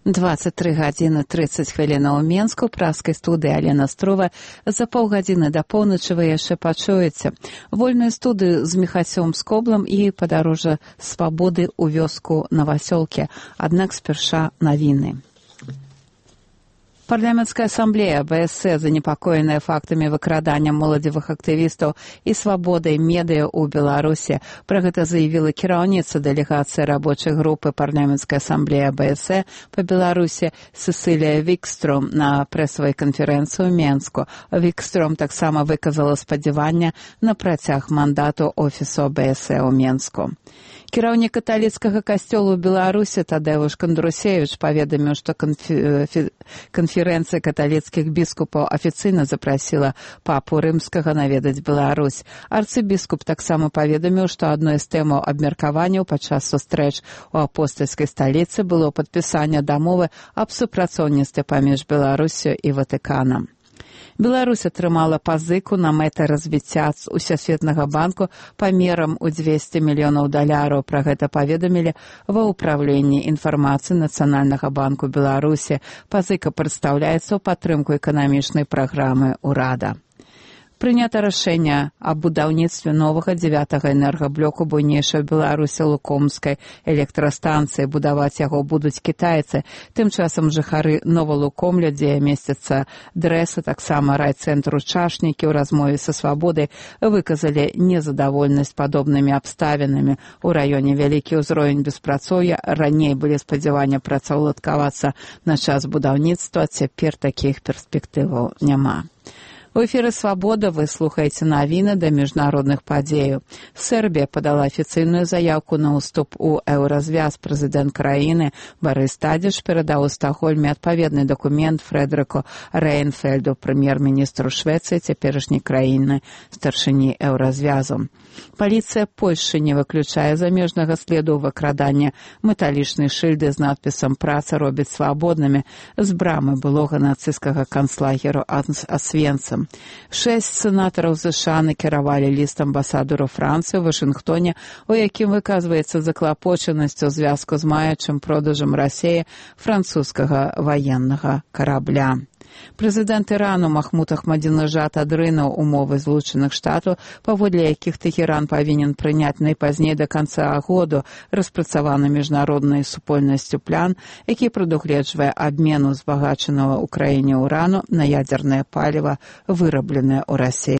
23 гадзіны 30 хвілінаў у Менску, праскай студыі Алена Строва. За паўгадзіны да поўначы вы яшчэ пачуеце вольную студыю з Міхасём Скоблам і падарожжа свабоды ў вёску Новасёлкі. Аднак спярша навіны. Парламенцкая ассамблея БСС, занепакоенная фактамі выкрадання моладзевых актывістаў і свабодай медыа ў Беларусі. Пра гэта заявіла кіраўніца дэлегацыі рабочай групы парламенцкай ассамблеі БСС па Беларусі Сесілія Вікстром на прэсавай канферэнцыі ў Менску. Вікстром таксама выказала спадзяванне на працяг мандату офісу БСС у Менску. Кіраўнік каталіцкага касцёла ў Беларусі Тадеуш Кандрусевіч паведаміў, што канферэнцыя каталіцкіх біскупаў афіцыйна запрасіла папу рымскага наведаць Беларусь. Арцыбіскуп таксама паведаміў, што адной з тэмаў абмеркаванняў падчас сустрэч у апостальскай сталіцы было падпісанне дамовы аб супрацоўніцтве паміж Беларусю і Ватыканам. Беларусь атрымала пазыку на мэты развіцця Усесветнага банку памерам у $200 мільёнаў. Пра гэта паведамілі ва ўпраўленні інфармацыі Нацыянальнага банку Беларусі. Пазыка прадстаўляецца ў падтрымку эканамічнай праграмы ўрада. Прынята рашэнне аб будаўніцтве новага 9-го энергаблоку буйнейшай Беларусі Лукомскай электрастанцыі. Будаваць яго будуць кітайцы. Тым часам жыхары Новалукомля, дзе месціцца дрэса, таксама райцэнтру Чашнікі, у размове са свабодай выказалі незадаволенасць падобнымі абставінамі. У раёне вялікі ўзровень беспрацоўя, раней былі спадзяванні працаўладкавацца на час будаўніцтва, цяпер такіх перспектываў няма. У эфіры «Свабода» вы слухаеце навіны да міжнародных падзеяў. Сербія падала афіцыйную заявку на ўступ у еўразвяз. Прэзідэнт краіны Барыс Тадзіч перадаў у Стакгольме адпаведны дакумент Фрэдэрыку Рэйнфельду, прэм'ер-міністру Швецыі, цяперашняй краіны старшыні еўразвязу. Паліцыя Польшчы не выключае замежнага следу выкрадання. Металічныя шыльды з надпісам «Праца робіць свабоднымі» з брамы былога нацысцкага канцлагеру Асвенцым. 6 сенатараў ЗША накіравалі ліст амбасадару Францыі ў Вашынгтоне, у якім выказваецца заклапочанасць у звязку з маячым продажам Расіі французскага ваеннага карабля. Прэзідэнт Ірану Махмуд Ахмадзінеджад адрынуў умовы Злучаных Штатаў, паводле якіх Тэхеран павінен прыняць найпазней да канца году распрацаваны міжнароднай супольнасцю план, які прадугледжвае абмену збагачанага ў краіне ўрану на ядзернае паліва, вырабленае ў Расіі.